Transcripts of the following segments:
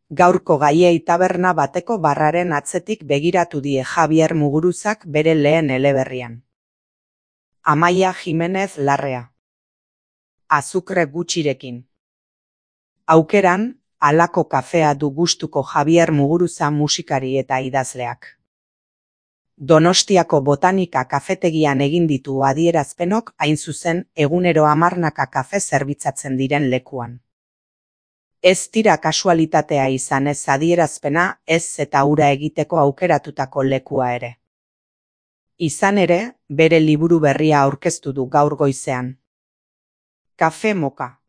Gaurko gaiei taberna bateko barraren atzetik begiratu die Javier Muguruzak bere lehen eleberrian. Amaia Jimenez Larrea. Azukre gutxirekin. Aukeran, halako kafea du gustuko Javier Muguruza musikari eta idazleak. Donostiako Botanika kafetegian egin ditu adierazpenok hain zuzen egunero 10 kafe zerbitzatzen diren lekuan. Ez dira kasualitatea izan ez adierazpena, ez eta hura egiteko aukeratutako lekua ere. Izan ere, bere liburu berria aurkeztu du gaur goizean. Kafe Moka.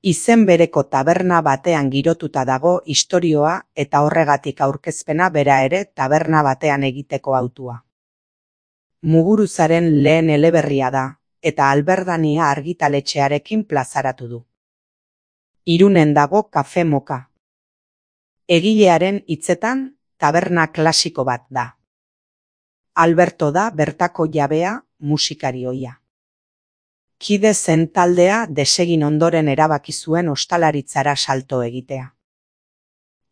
Izen bereko taberna batean girotuta dago istorioa eta horregatik aurkezpena bera ere taberna batean egiteko hautua. Muguruzaren lehen eleberria da, eta Alberdania argitaletxearekin plazaratu du. Irunen dago Kafe Moka. Egilearen hitzetan, taberna klasiko bat da. Alberto da bertako jabea, musikari ohia. Kide zen taldea desegin ondoren erabaki zuen ostalaritzara salto egitea.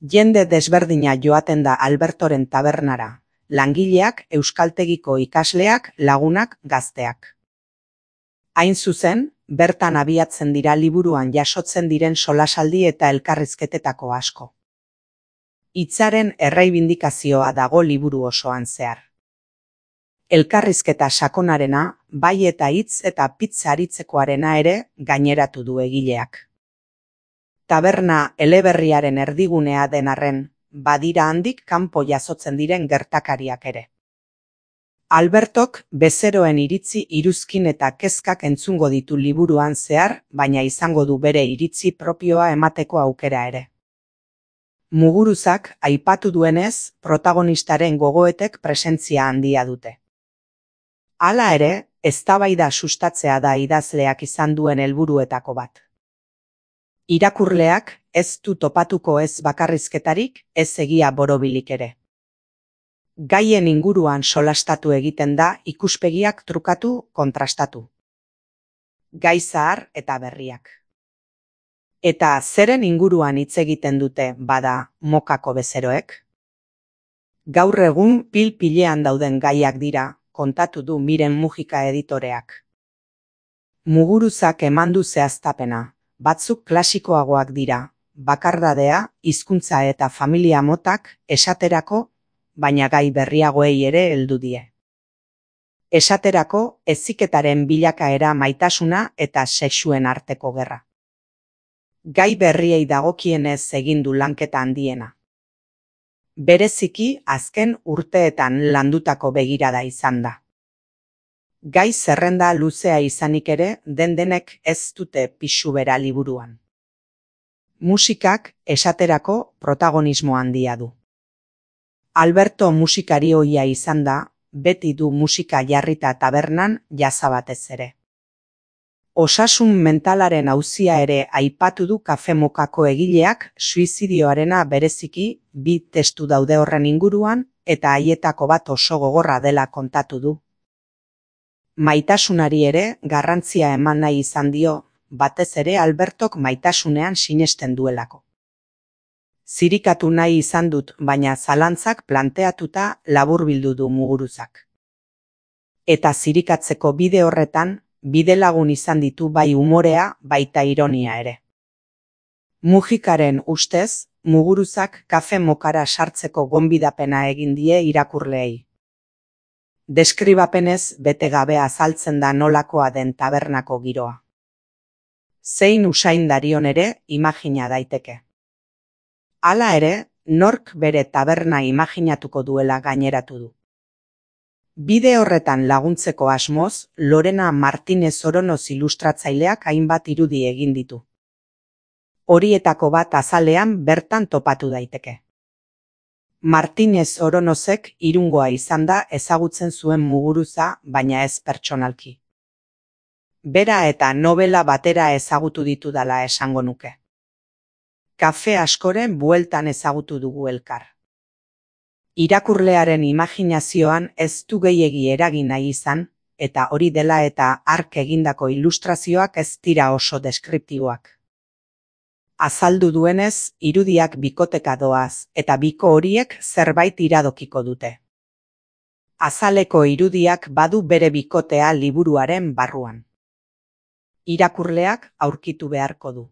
Jende desberdina joaten da Albertoren tabernara, langileak, euskaltegiko ikasleak, lagunak, gazteak. Hain zuzen, bertan abiatzen dira liburuan jasotzen diren solasaldi eta elkarrizketetako asko. Hitzaren erreibindikazioa dago liburu osoan zehar. Elkarrizketa sakonarena, bai eta hitz eta pizza aritzekoarena ere gaineratu du egileak. Taberna eleberriaren erdigunea den arren, badira handik kanpo jasotzen diren gertakariak ere. Albertok bezeroen iritzi iruzkin eta kezkak entzungo ditu liburuan zehar, baina izango du bere iritzi propioa emateko aukera ere. Muguruzak aipatu duenez, protagonistaren gogoetek presentzia handia dute. Hala ere, eztabaida sustatzea da idazleak izan duen helburuetako bat. Irakurleak ez du topatuko ez bakarrizketarik, ez egia borobilik ere. Gaien inguruan solastatu egiten da ikuspegiak trukatu, kontrastatu. Gai zahar eta berriak. Eta zeren inguruan hitz egiten dute bada Mokako bezeroek? Gaur egun pil-pilean dauden gaiak dira, kontatu du Miren Mujika editoreak. Muguruzak eman du zehaztapena, batzuk klasikoagoak dira, bakardadea, hizkuntza eta familia motak, esaterako, baina gai berriagoei ere heldu die. Esaterako, heziketaren bilakaera maitasuna eta sexuen arteko gerra. Gai berriei dagokienez egin du lanketa handiena. Bereziki azken urteetan landutako begirada izan da. Gai zerrenda luzea izanik ere denek ez dute pisu bera liburuan. Musikak esaterako protagonismo handia du. Alberto musikari ohia izan da, beti du musika jarrita tabernan jasa batez ere. Osasun mentalaren auzia ere aipatu du Kafe Mokako egileak suizidioarena bereziki 2 testu daude horren inguruan eta haietako bat oso gogorra dela kontatu du. Maitasunari ere garrantzia eman nahi izan dio, batez ere Albertok maitasunean sinesten duelako. Zirikatu nahi izan dut, baina zalantzak planteatuta laburbildu du Muguruzak. Eta zirikatzeko bide horretan, bidelagun izan ditu bai umorea, baita ironia ere. Mujikaren ustez, Muguruzak Kafe Mokara sartzeko gonbidapena egin die irakurleei. Deskribapenez bete gabe azaltzen da nolakoa den tabernako giroa. Zein usain darion ere imagina daiteke. Hala ere, nork bere taberna imaginatuko duela gaineratu du. Bide horretan laguntzeko asmoz, Lorena Martinez Oronoz ilustratzaileak hainbat irudi egin ditu. Horietako bat azalean bertan topatu daiteke. Martinez Oronozek Irungoa izan da ezagutzen zuen Muguruza, baina ez pertsonalki. Bera eta novela batera ezagutu ditudala esango nuke. Kafe askoren bueltan ezagutu dugu elkar. Irakurlearen imaginazioan ez du gehiegi eragin nahi izan, eta hori dela eta hark egindako ilustrazioak ez dira oso deskriptiboak. Azaldu duenez, irudiak bikoteka doaz, eta biko horiek zerbait iradokiko dute. Azaleko irudiak badu bere bikotea liburuaren barruan. Irakurleak aurkitu beharko du.